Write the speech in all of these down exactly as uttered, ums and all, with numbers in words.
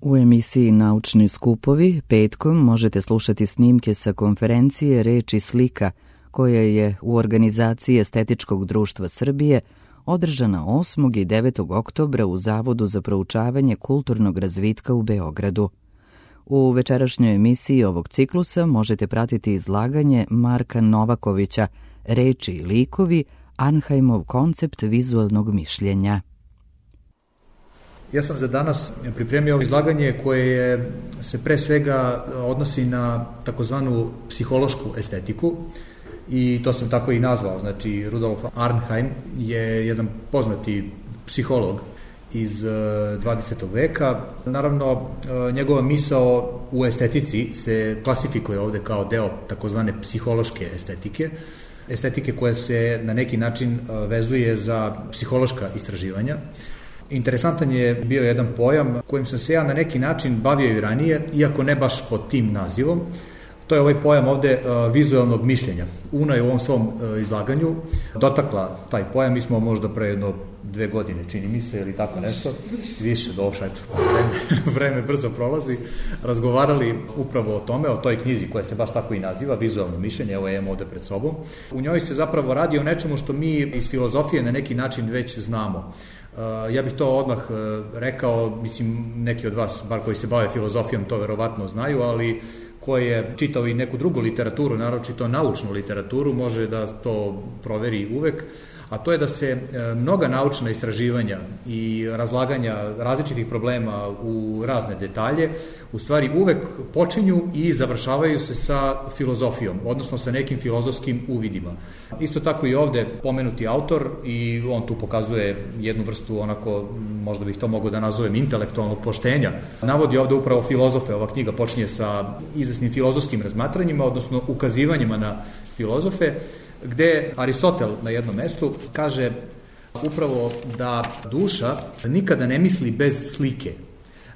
U emisiji Naučni skupovi petkom možete slušati snimke sa konferencije Reč i slika koja je u organizaciji Estetičkog društva Srbije održana osmog i devetog oktobra u Zavodu za proučavanje kulturnog razvitka u Beogradu. U večerašnjoj emisiji ovog ciklusa možete pratiti izlaganje Marka Novakovića Reči i likovi, Arnheimov koncept vizualnog mišljenja. Ja sam za danas pripremio izlaganje koje se pre svega odnosi na takozvanu psihološku estetiku i to sam tako i nazvao. Znači, Rudolf Arnheim je jedan poznati psiholog iz dvadesetog veka. Naravno, njegova misao u estetici se klasifikuje ovde kao deo takozvane psihološke estetike, estetike koja se na neki način vezuje za psihološka istraživanja. Interesantan je bio jedan pojam kojim sam se ja na neki način bavio i ranije, iako ne baš pod tim nazivom. To je ovaj pojam ovde vizualnog mišljenja. Una je u ovom svom izlaganju dotakla taj pojam, mi smo možda pre jedno dve godine, čini mi se, ili tako nešto, više došla, eto, vreme, vreme brzo prolazi, razgovarali upravo o tome, o toj knjizi koja se baš tako i naziva, vizualno mišljenje, evo je ovde pred sobom. U njoj se zapravo radi o nečemu što mi iz filozofije na neki način već znamo. Ja bih to odmah rekao, mislim, neki od vas, bar koji se bave filozofijom, to verovatno znaju, ali ko je čitao i neku drugu literaturu, naročito naučnu literaturu, može da to proveri uvek, a to je da se mnoga naučna istraživanja i razlaganja različitih problema u razne detalje u stvari uvek počinju i završavaju se sa filozofijom, odnosno sa nekim filozofskim uvidima. Isto tako i ovde pomenuti autor i on tu pokazuje jednu vrstu onako, možda bih to mogao da nazovem, intelektualnog poštenja. Navodi ovde upravo filozofe, ova knjiga počinje sa izvesnim filozofskim razmatranjima, odnosno ukazivanjima na filozofe, gde Aristotel na jednom mestu kaže upravo da duša nikada ne misli bez slike.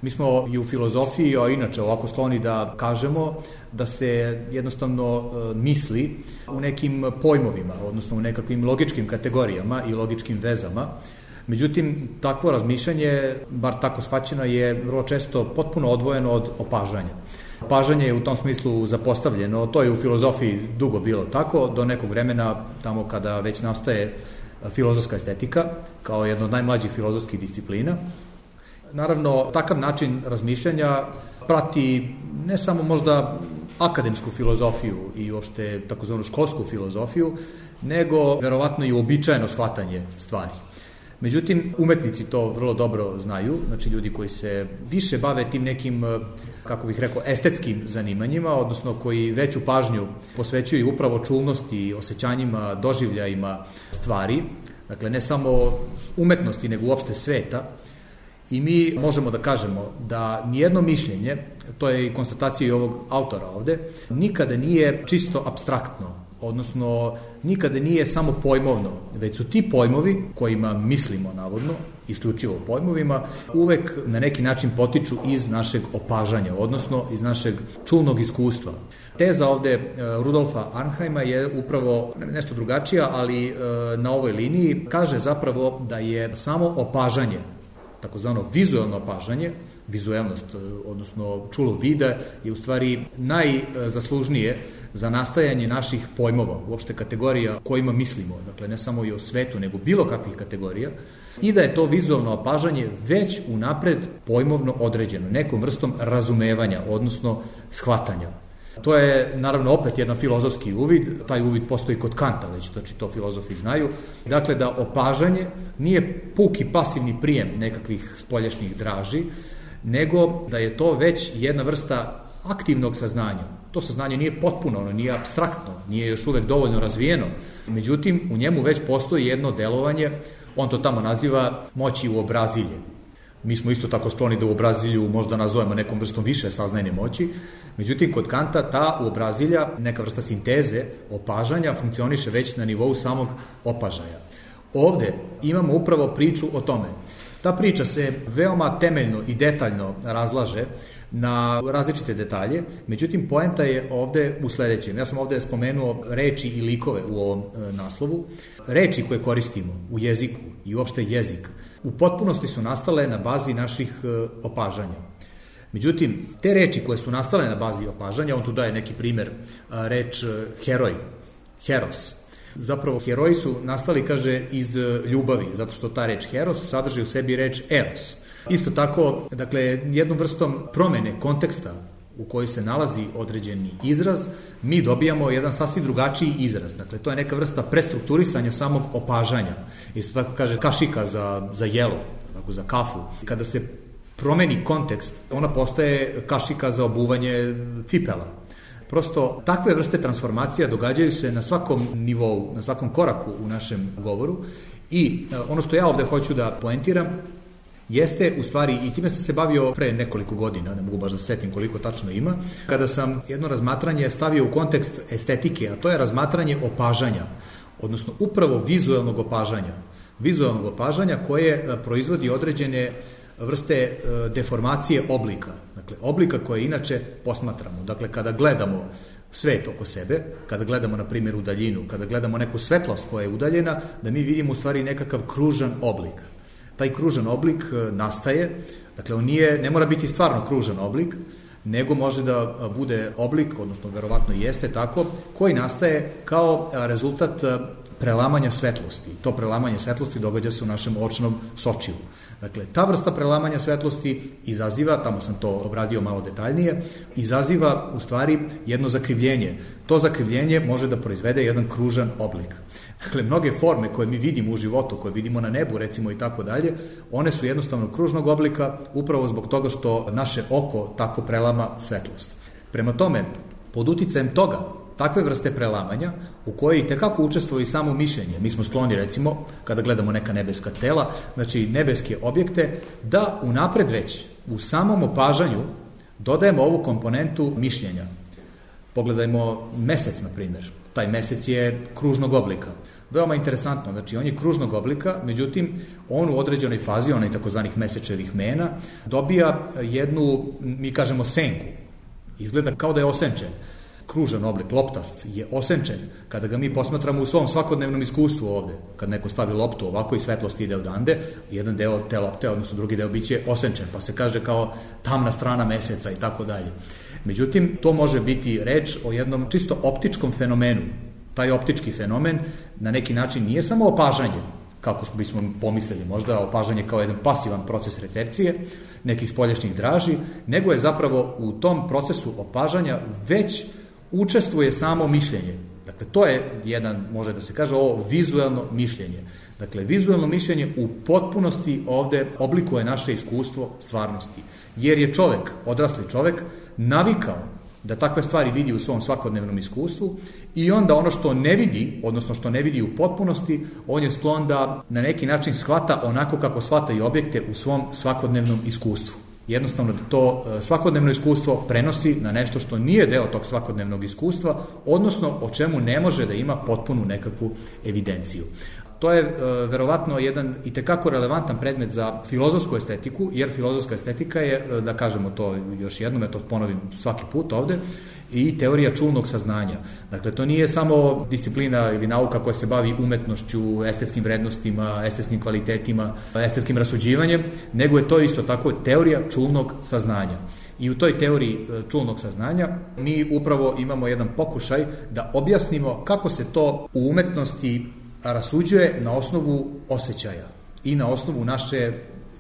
Mi smo i u filozofiji, a inače ovako skloni da kažemo da se jednostavno misli u nekim pojmovima, odnosno u nekakvim logičkim kategorijama i logičkim vezama. Međutim, takvo razmišljanje, bar tako shvaćeno, je vrlo često potpuno odvojeno od opažanja. Opažanje je u tom smislu zapostavljeno, to je u filozofiji dugo bilo tako, do nekog vremena, tamo kada već nastaje filozofska estetika, kao jedna od najmlađih filozofskih disciplina. Naravno, takav način razmišljanja prati ne samo možda akademsku filozofiju i uopšte takozvanu školsku filozofiju, nego verovatno i uobičajeno shvatanje stvari. Međutim, umetnici to vrlo dobro znaju, znači ljudi koji se više bave tim nekim, kako bih rekao, estetskim zanimanjima, odnosno koji veću pažnju posvećuju upravo čulnosti, osjećanjima, doživljajima stvari, dakle ne samo umetnosti, nego uopšte sveta. I mi možemo da kažemo da nijedno mišljenje, to je i konstatacija i ovog autora ovde, nikada nije čisto apstraktno, odnosno nikada nije samo pojmovno, već su ti pojmovi kojima mislimo navodno, isključivo pojmovima, uvek na neki način potiču iz našeg opažanja, odnosno iz našeg čulnog iskustva. Teza ovde Rudolfa Arnheima je upravo nešto drugačija, ali na ovoj liniji kaže zapravo da je samo opažanje, takozvano vizualno opažanje, vizuelnost, odnosno čulo vida, je u stvari najzaslužnije za nastajanje naših pojmova, uopšte kategorija kojima mislimo, dakle ne samo i o svetu, nego bilo kakvih kategorija, i da je to vizualno opažanje već unapred pojmovno određeno, nekom vrstom razumevanja, odnosno shvatanja. To je, naravno, opet jedan filozofski uvid, taj uvid postoji kod Kanta, već znači to filozofi znaju, dakle da opažanje nije puki pasivni prijem nekakvih spoljašnjih draži, nego da je to već jedna vrsta aktivnog saznanja. To saznanje nije potpuno, ono nije apstraktno, nije još uvek dovoljno razvijeno, međutim u njemu već postoji jedno delovanje, on to tamo naziva moći uobrazilje. Mi smo isto tako skloni da uobrazilju možda nazovemo nekom vrstom više saznajne moći, međutim kod Kanta ta uobrazilja, neka vrsta sinteze, opažanja, funkcioniše već na nivou samog opažaja. Ovde imamo upravo priču o tome. Ta priča se veoma temeljno i detaljno razlaže na različite detalje, međutim poenta je ovde u sledećem. Ja sam ovde spomenuo reči i likove u ovom e, naslovu. Reči koje koristimo u jeziku i uopšte jezik u potpunosti su nastale na bazi naših e, opažanja. Međutim, te reči koje su nastale na bazi opažanja, on tu daje neki primer, reč heroj, heros. Zapravo, heroji su nastali, kaže, iz ljubavi, zato što ta reč heros sadrži u sebi reč eros. Isto tako, dakle, jednom vrstom promene konteksta u kojoj se nalazi određeni izraz, mi dobijamo jedan sasvim drugačiji izraz. Dakle, to je neka vrsta prestrukturisanja samog opažanja. Isto tako kaže kašika za, za jelo, tako za kafu. Kada se promeni kontekst, ona postaje kašika za obuvanje cipela. Prosto, takve vrste transformacija događaju se na svakom nivou, na svakom koraku u našem govoru i ono što ja ovde hoću da poentiram jeste, u stvari, i time sam se bavio pre nekoliko godina, ne mogu baš da setim koliko tačno ima, kada sam jedno razmatranje stavio u kontekst estetike, a to je razmatranje opažanja, odnosno upravo vizuelnog opažanja. Vizuelnog opažanja koje proizvodi određene vrste deformacije oblika. Dakle, oblika koje inače posmatramo. Dakle, kada gledamo svet oko sebe, kada gledamo, na primjer, u daljinu, kada gledamo neku svetlost koja je udaljena, da mi vidimo u stvari nekakav kružan oblik. Taj kružan oblik nastaje, dakle, on nije, ne mora biti stvarno kružan oblik, nego može da bude oblik, odnosno verovatno jeste tako, koji nastaje kao rezultat prelamanja svetlosti. To prelamanje svetlosti događa se u našem očnom sočivu. Dakle, ta vrsta prelamanja svetlosti izaziva, tamo sam to obradio malo detaljnije, izaziva u stvari jedno zakrivljenje. To zakrivljenje može da proizvede jedan kružan oblik. Dakle, mnoge forme koje mi vidimo u životu, koje vidimo na nebu, recimo, i tako dalje, one su jednostavno kružnog oblika upravo zbog toga što naše oko tako prelama svetlost. Prema tome, pod uticajem toga, takve vrste prelamanja, u kojoj i tekako učestvuje i samo mišljenje. Mi smo skloni, recimo, kada gledamo neka nebeska tela, znači nebeske objekte, da unapred već u samom opažanju dodajemo ovu komponentu mišljenja. Pogledajmo mesec, na primjer. Taj mesec je kružnog oblika. Veoma interesantno, znači on je kružnog oblika, međutim, on u određenoj fazi, onaj takozvanih mesečevih mena, dobija jednu, mi kažemo, senku. Izgleda kao da je osenčen. Kružan oblik, loptast, je osenčen kada ga mi posmatramo u svom svakodnevnom iskustvu ovde. Kad neko stavi loptu ovako i svetlost ide odande, jedan deo te lopte, odnosno drugi deo biće osenčen, pa se kaže kao tamna strana meseca i tako dalje. Međutim, to može biti reč o jednom čisto optičkom fenomenu. Taj optički fenomen na neki način nije samo opažanje, kako bismo pomislili, možda opažanje kao jedan pasivan proces recepcije nekih spoljašnjih draži, nego je zapravo u tom procesu opažanja već učestvuje samo mišljenje. Dakle, to je jedan, može da se kaže, ovo vizuelno mišljenje. Dakle, vizuelno mišljenje u potpunosti ovde oblikuje naše iskustvo stvarnosti. Jer je čovek, odrasli čovek, navikao da takve stvari vidi u svom svakodnevnom iskustvu i onda ono što ne vidi, odnosno što ne vidi u potpunosti, on je sklon da na neki način shvata onako kako shvata i objekte u svom svakodnevnom iskustvu. Jednostavno to svakodnevno iskustvo prenosi na nešto što nije deo tog svakodnevnog iskustva, odnosno o čemu ne može da ima potpunu nekakvu evidenciju. To je e, verovatno jedan i tekako relevantan predmet za filozofsku estetiku, jer filozofska estetika je, da kažemo to još jednom, ja to ponovim svaki put ovde, i teorija čulnog saznanja. Dakle, to nije samo disciplina ili nauka koja se bavi umetnošću, estetskim vrednostima, estetskim kvalitetima, estetskim rasuđivanjem, nego je to isto tako teorija čulnog saznanja. I u toj teoriji čulnog saznanja mi upravo imamo jedan pokušaj da objasnimo kako se to u umetnosti rasuđuje na osnovu osjećaja i na osnovu naše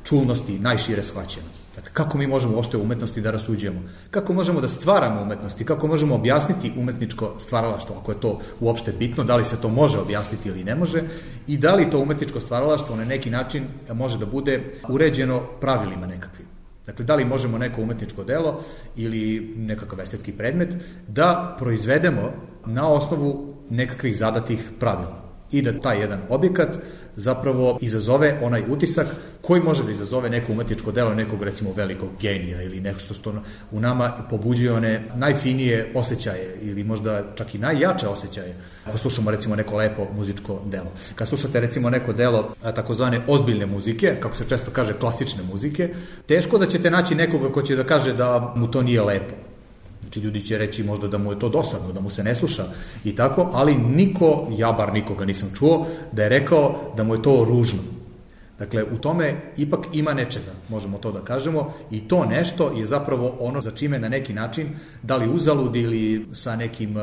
čulnosti, najšire shvaćeno. Dakle, kako mi možemo uopšte u umetnosti da rasuđujemo? Kako možemo da stvaramo umetnosti? Kako možemo objasniti umetničko stvaralaštvo, ako je to uopšte bitno, da li se to može objasniti ili ne može, i da li to umetničko stvaralaštvo na neki način može da bude uređeno pravilima nekakvim. Dakle, da li možemo neko umetničko delo ili nekakav estetski predmet da proizvedemo na osnovu nekakvih zadatih pravila i da taj jedan objekat zapravo izazove onaj utisak koji može da izazove neko umetničko delo nekog, recimo, velikog genija ili nešto što u nama pobuđuje one najfinije osjećaje ili možda čak i najjače osjećaje. Ako slušamo, recimo, neko lepo muzičko delo. Kad slušate, recimo, neko delo takozvane ozbiljne muzike, kako se često kaže klasične muzike, teško da ćete naći nekoga ko će da kaže da mu to nije lepo. Znači, ljudi će reći možda da mu je to dosadno, da mu se ne sluša i tako, ali niko, ja bar nikoga nisam čuo, da je rekao da mu je to ružno. Dakle, u tome ipak ima nečega, možemo to da kažemo, i to nešto je zapravo ono za čime na neki način, da li uzalud ili sa nekim,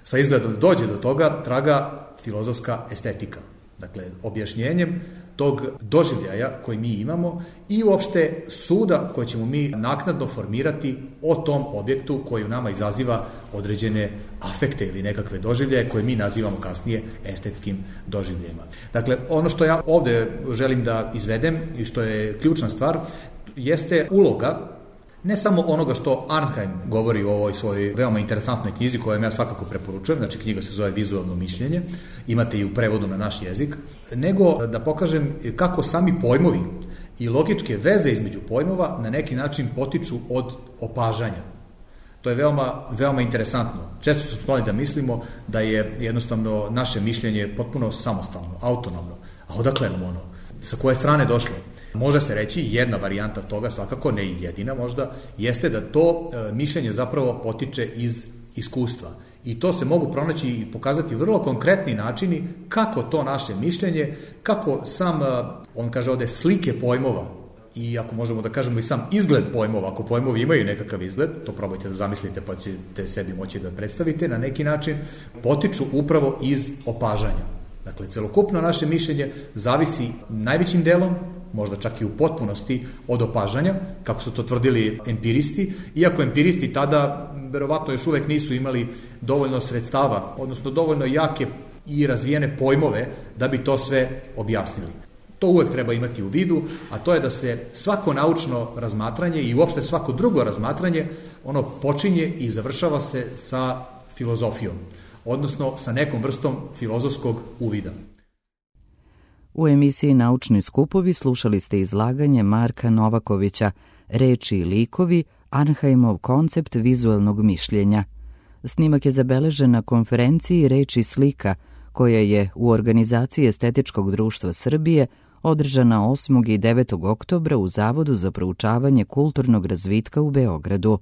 sa izgledom da dođe do toga, traga filozofska estetika. Dakle, objašnjenjem tog doživljaja koji mi imamo i uopšte suda koje ćemo mi naknadno formirati o tom objektu koji u nama izaziva određene afekte ili nekakve doživljaje koje mi nazivamo kasnije estetskim doživljajima. Dakle, ono što ja ovde želim da izvedem i što je ključna stvar jeste uloga ne samo onoga što Arnheim govori u ovoj svojoj veoma interesantnoj knjizi koju ja svakako preporučujem, znači knjiga se zove Vizualno mišljenje, imate i u prevodu na naš jezik, nego da pokažem kako sami pojmovi i logičke veze između pojmova na neki način potiču od opažanja. To je veoma, veoma interesantno. Često su skloni da mislimo da je jednostavno naše mišljenje potpuno samostalno, autonomno. A odakle nam ono? Sa koje strane došlo? Može se reći, jedna varijanta toga, svakako ne i jedina možda, jeste da to e, mišljenje zapravo potiče iz iskustva. I to se mogu pronaći i pokazati vrlo konkretni načini kako to naše mišljenje, kako sam, e, on kaže ovde, slike pojmova, i ako možemo da kažemo i sam izgled pojmova, ako pojmovi imaju nekakav izgled, to probajte da zamislite pa ćete sebi moći da predstavite na neki način, potiču upravo iz opažanja. Dakle, celokupno naše mišljenje zavisi najvećim delom, možda čak i u potpunosti, od opažanja, kako su to tvrdili empiristi, iako empiristi tada verovatno još uvek nisu imali dovoljno sredstava, odnosno dovoljno jake i razvijene pojmove da bi to sve objasnili. To uvek treba imati u vidu, a to je da se svako naučno razmatranje i uopšte svako drugo razmatranje, ono počinje i završava se sa filozofijom, odnosno sa nekom vrstom filozofskog uvida. U emisiji Naučni skupovi slušali ste izlaganje Marka Novakovića, Reči i likovi, Arnheimov koncept vizualnog mišljenja. Snimak je zabeležen na konferenciji Reč i slika, koja je u organizaciji Estetičkog društva Srbije održana osmog i devetog oktobra u Zavodu za proučavanje kulturnog razvitka u Beogradu.